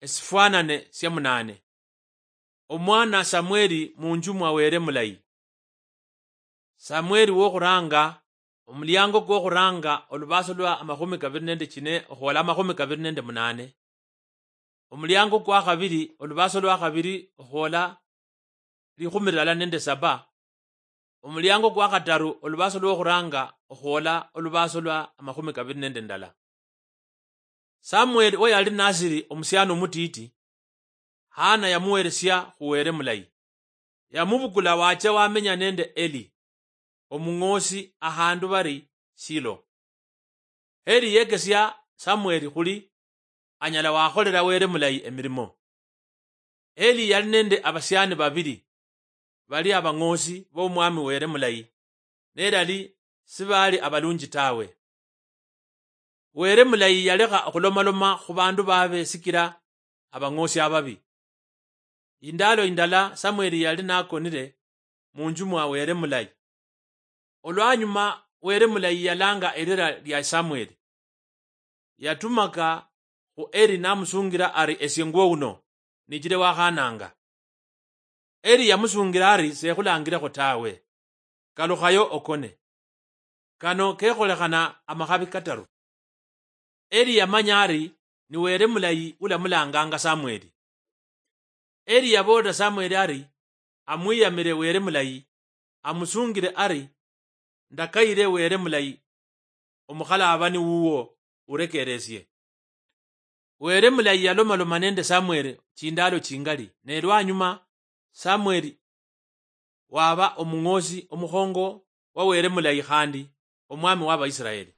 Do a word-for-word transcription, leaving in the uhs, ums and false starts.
esifwanane sia munane. Omwana Samweli munju mwa Wele mulayi. Samweli wokhuranga, omuliango kwokhuranga, olubaso lwa amakhumi kabiri nende chine okhwola amakhumi kabiri nende munane. Omuliango kwa khabiri, olubaso lwa khabiri okhwola likhumi lala nende saba. Omuliango kwa khataru, olubaso lwokhuranga okhwola olubaso lwa amakhumi kabiri nende ndala. Samweli weyali nasiri omusiani omutiti, Hana yamuweresia khu Wele mulayi. Yamubukula wacha wamenya nende Eli, omung'osi, ahandu bari Silo. Eli yekesia Samweli khuli anyala wakholela Wele mulayi emirimo. Eli yali nende abasiani babili bali abang'osi b'omwami Wele mulayi, nelali sibali abalunji tawe. Wele mulayi yalekha okhulomaloma khu bandu babe sikila abang'osi ababi. Indalo indala Samweli yali nakonile munju mwa Wele mulayi. Olwanyuma Wele mulayi yalanga elira lia Samweli. Yatumaka khu Eli namusungira ari, "Esie ngwo uno, nichile wakhananga." Eli yamusungira ari, "Sekhulangirekho tawe. Kalukhayo okone." Kano kekholekhana amakhabi kataru. Eli yamanya ari ni Wele mulayi ulamulanganga Samweli. Eli yaboolera Samweli ari amwiyamire Wele mulayi, amusungire ari, "Ndakayire Wele mulayi, omukhalaabani wuwo urekeresie." Wele mulayi yalomaloma nende Samweli chindaalo chingali, ne lwanyuma Samweli waba omung'oosi omukhongo wa Wele mulayi khandi omwami wa Baisiraeli.